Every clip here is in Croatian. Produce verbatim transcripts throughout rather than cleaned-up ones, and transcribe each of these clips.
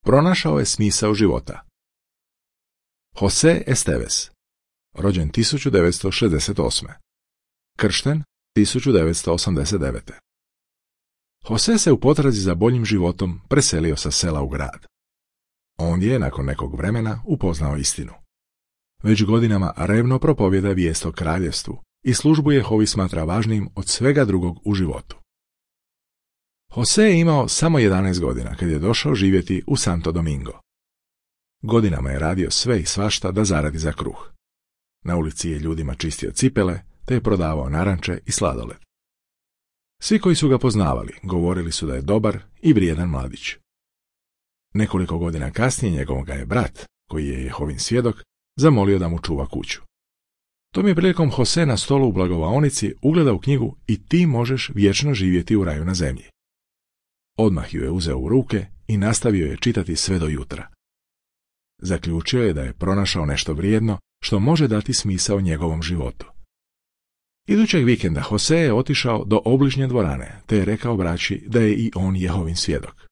pronašao je smisao života. Jose Esteves, rođen tisuću devetsto šezdeset osme. Kršten tisuću devetsto osamdeset devete. Jose se u potrazi za boljim životom preselio sa sela u grad. Ondje je nakon nekog vremena upoznao istinu. Već godinama revno propovjeda vijest o kraljevstvu i službu Jehovi smatra važnijim od svega drugog u životu. Jose je imao samo jedanaest godina kad je došao živjeti u Santo Domingo. Godinama je radio sve i svašta da zaradi za kruh. Na ulici je ljudima čistio cipele, te je prodavao naranče i sladoled. Svi koji su ga poznavali govorili su da je dobar i vrijedan mladić. Nekoliko godina kasnije njegov ga je brat, koji je Jehovin svjedok, zamolio da mu čuva kuću. Tom je prilikom Jose na stolu u blagovaonici ugledao knjigu I ti možeš vječno živjeti u raju na zemlji. Odmah ju je uzeo u ruke i nastavio je čitati sve do jutra. Zaključio je da je pronašao nešto vrijedno što može dati smisao njegovom životu. Idućeg vikenda Jose je otišao do obližnje dvorane, te je rekao braći da je i on Jehovin svjedok.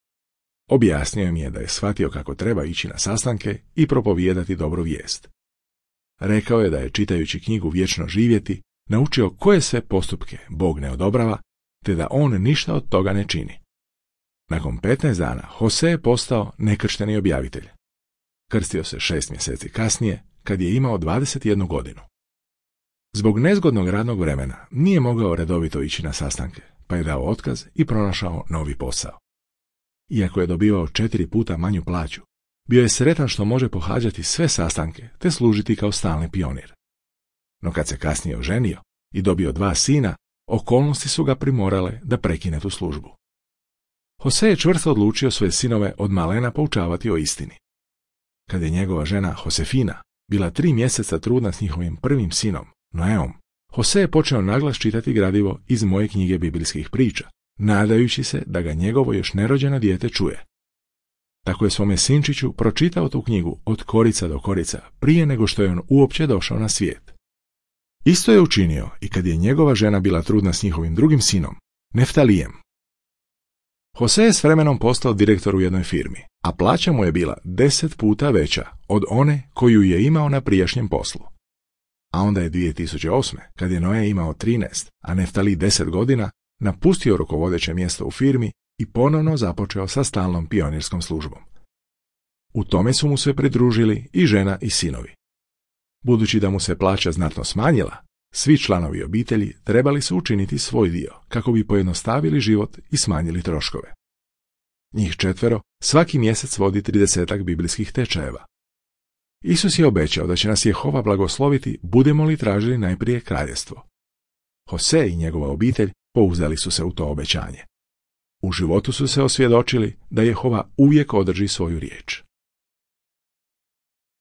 Objasnio im je da je shvatio kako treba ići na sastanke i propovijedati dobru vijest. Rekao je da je čitajući knjigu Vječno živjeti naučio koje sve postupke Bog ne odobrava, te da on ništa od toga ne čini. Nakon petnaest dana Jose je postao nekršteni objavitelj. Krstio se šest mjeseci kasnije, kad je imao dvadeset jednu godinu. Zbog nezgodnog radnog vremena nije mogao redovito ići na sastanke, pa je dao otkaz i pronašao novi posao. Iako je dobivao četiri puta manju plaću, bio je sretan što može pohađati sve sastanke te služiti kao stalni pionir. No kad se kasnije oženio i dobio dva sina, okolnosti su ga primorale da prekine tu službu. Jose je čvrsto odlučio svoje sinove od malena poučavati o istini. Kad je njegova žena Josefina bila tri mjeseca trudna s njihovim prvim sinom, Noeom, Jose je počeo naglas čitati gradivo iz moje knjige biblijskih priča, nadajući se da ga njegovo još nerođeno dijete čuje. Tako je svome sinčiću pročitao tu knjigu od korica do korica prije nego što je on uopće došao na svijet. Isto je učinio i kad je njegova žena bila trudna s njihovim drugim sinom, Neftalijem. Jose je s vremenom postao direktor u jednoj firmi, a plaća mu je bila deset puta veća od one koju je imao na prijašnjem poslu. A onda je dvije tisuće osme, kad je Noe imao trinaest, a Neftali deset godina, napustio rukovodeće mjesto u firmi i ponovno započeo sa stalnom pionirskom službom. U tome su mu se pridružili i žena i sinovi. Budući da mu se plaća znatno smanjila, svi članovi obitelji trebali su učiniti svoj dio kako bi pojednostavili život i smanjili troškove. Njih četvero svaki mjesec vodi tridesetak biblijskih tečajeva. Isus je obećao da će nas Jehova blagosloviti budemo li tražili najprije kraljevstvo. Jose i njegova obitelj pouzdali su se u to obećanje. U životu su se osvjedočili da Jehova uvijek održi svoju riječ.